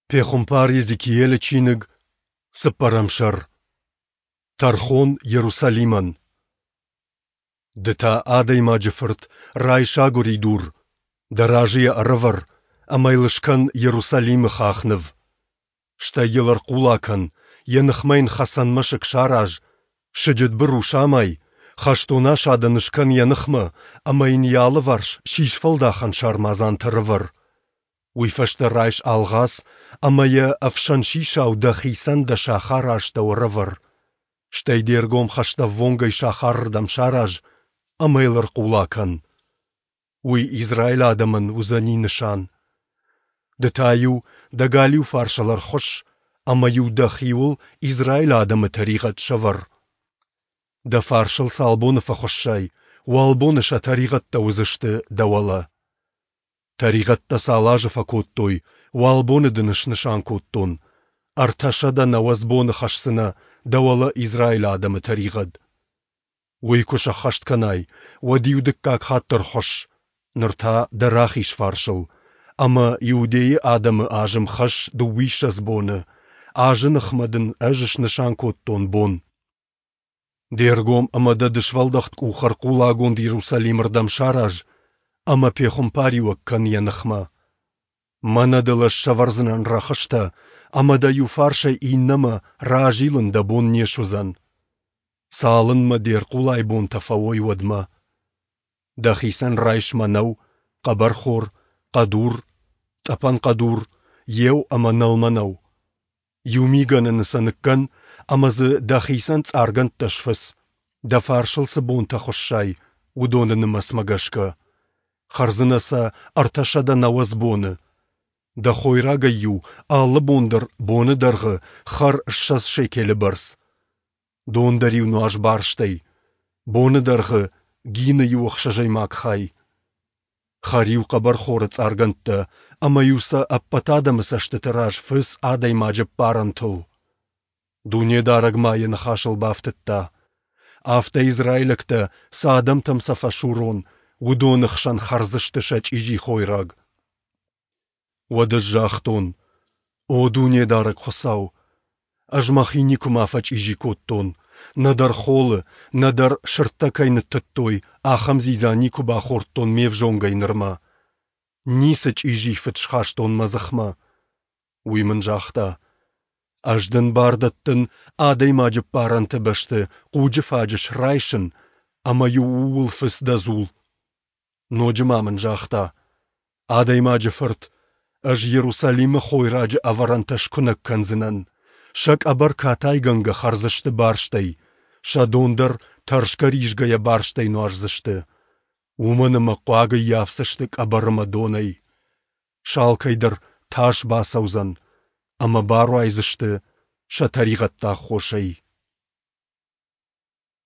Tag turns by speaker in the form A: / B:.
A: Пехуымпар Йезекиелы чиныг, цыппӕрӕм сӕр. Тӕрхон Йерусалимӕн. Ды та, адӕймаджы фырт, райс агуыридур, дӕ разы йӕ ӕрӕвӕр ӕмӕ йыл скӕн Йерусалимы хахныв. Стӕй йыл ӕрхъула кӕн, йӕ ныхмӕ йын хӕцӕн мӕсыг сараз, сыджытбыру самай, хӕстон асадӕн скӕн йӕ ныхмӕ ӕмӕ йын йӕ алыварс сисфӕлдахӕн сармадзантӕ ӕрӕвӕр. Уый фӕстӕ райс алгъац ӕмӕ йӕ ӕфсӕн сисау дӕхицӕн дӕ сахары астӕу ӕрӕвӕр. Стӕй де ргом хӕстӕввонгӕй сахарырдӕм сараз ӕмӕ йыл ӕрхъула кӕн. Уый Израилы адӕмӕн уыдзӕни нысан. Ды та-иу дӕ галиу фарсыл ӕрхуысс ӕмӕ-иу дӕхиуыл Израилы адӕмы тӕригъӕд сӕвӕр. Дӕ фарсыл цал боны фӕхуыссай, уал боны сӕ тӕригъӕдтӕ уыдзысты дӕ уӕлӕ. Тӕригъӕдтӕ цал азы фӕкодтой, уал боны дын снысан кодтон. 390 боны хӕсдзынӕ дӕ уӕлӕ Израилы адӕмы тӕригъӕд. Уый куы сӕххӕст кӕнай, уӕд-иу дыккаг хатт ӕрхуысс, ныр та дӕ рахиз фарсыл, ӕмӕ Иудейы адӕмы азым хӕсс дыууиссӕдз боны, азы ныхмӕ дын ӕз снысан кодтон бон. Де ргом ӕмӕ дӕ дысвӕлдӕхт къух ӕрхъулагонд Иерусалимырдӕм сараз ӕмӕ пехуымпариуӕг кӕн йӕ ныхмӕ. Мӕнӕ дыл ӕз сӕвӕрдзынӕн рӕхыстӕ, ӕмӕ дӕ иу фарсӕй иннӕмӕ разилын дӕ бон не суыдзӕн. Цалынмӕ де рхъулайы бонтӕ фӕуой, уӕдмӕ. Дӕхицӕн райс мӕнӕу, хъӕбӕрхор, хъӕдур, тъӕпӕн хъӕдур, еу ӕмӕ нӕлмӕнӕу. Иу мигӕнӕны сӕ ныккӕн ӕмӕ дзы дӕхицӕн цъаргӕндтӕ сфыц, дӕ фарсыл цы бонтӕ хуыссай, уыдоны нымӕцмӕ гӕсгӕ. Хӕрдзынӕ сӕ 390 боны. Дӕ хойрагӕй-иу алы бон дӕр боны дӕргъы хӕр 20 шекелы бӕрц. Дон дӕр-иу нуаз барстӕй. Боны дӕргъы гины иу ӕхсӕзӕймаг хай. Хӕр-иу хъӕбӕрхоры цъаргӕндтӕ ӕмӕ-иу сӕ ӕппӕт адӕмы цӕстыты раз фыц адӕймаджы ӕппарӕнтыл. Дунедарӕг ма йӕ ныхасыл бафтыдта: Афтӕ израилӕгтӕ, цы адӕмтӕм сӕ фӕсурон, уыдоны хсӕн хӕрдзысты сӕ чъизи хойраг. Уӕд ӕз загътон: О Дунедарӕг Хуыцау! Ӕз мӕхи никуыма фӕчъизи кодтон, нӕдӕр холы, нӕдӕр, сырдтӕ кӕй ныттыдтой, ахӕм дзидза никуы бахордтон ме взонгӕй нырмӕ. Ницы чъизи фыд схастон мӕ дзыхмӕ. Уый мын загъта: Ӕз дын бар дӕттын адӕймаджы ппарӕнты бӕсты хъуджы фаджыс райсын ӕмӕ-иу ууыл фыц дӕ дзул. Ноджы ма мын загъта: Адӕймаджы фырт, ӕз Иерусалимы хойраджы ӕвӕрӕнтӕ скуынӕг кӕндзынӕн, сӕ къӕбӕр катайгӕнгӕ хӕрдзысты барстӕй, сӕ дон дӕр тӕрсгӕ-ризгӕйӕ барстӕй нуаздзысты, уымӕн ӕмӕ хъуаг ӕййафдзысты къӕбӕр ӕмӕ донӕй. Сӕ алкӕй дӕр тас бацӕудзӕн, ӕмӕ баруайдзысты сӕ тӕригъӕдты аххосӕй.